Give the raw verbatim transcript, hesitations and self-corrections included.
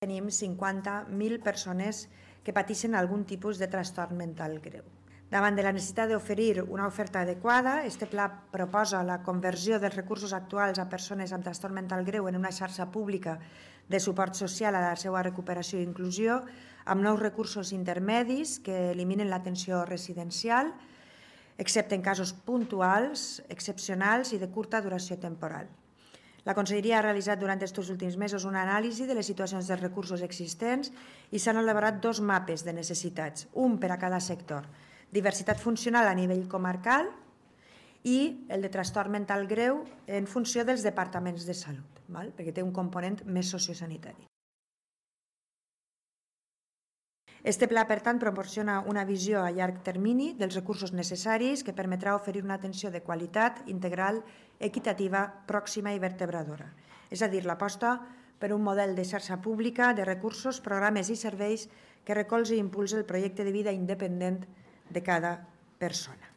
tenim cinquanta mil persones que pateixen algun tipus de trastorn mental greu. Davant de la necessitat d'oferir una oferta adequada, este pla proposa la conversió dels recursos actuals a persones amb trastorn mental greu en una xarxa pública de suport social a la seva recuperació i inclusió, amb nous recursos intermedis que eliminen l'atenció residencial, excepte en casos puntuals, excepcionals i de curta duració temporal. La Conselleria ha realitzat durant aquests últims mesos una anàlisi de les situacions dels recursos existents i s'han elaborat dos mapes de necessitats, un per a cada sector, diversitat funcional a nivell comarcal i el de trastorn mental greu en funció dels departaments de salut, perquè té un component més sociosanitari. Este pla, per tant, proporciona una visió a llarg termini dels recursos necessaris que permetrà oferir una atenció de qualitat, integral, equitativa, pròxima i vertebradora. És a dir, l'aposta per un model de xarxa pública de recursos, programes i serveis que recolzi i impulsi el projecte de vida independent de cada persona.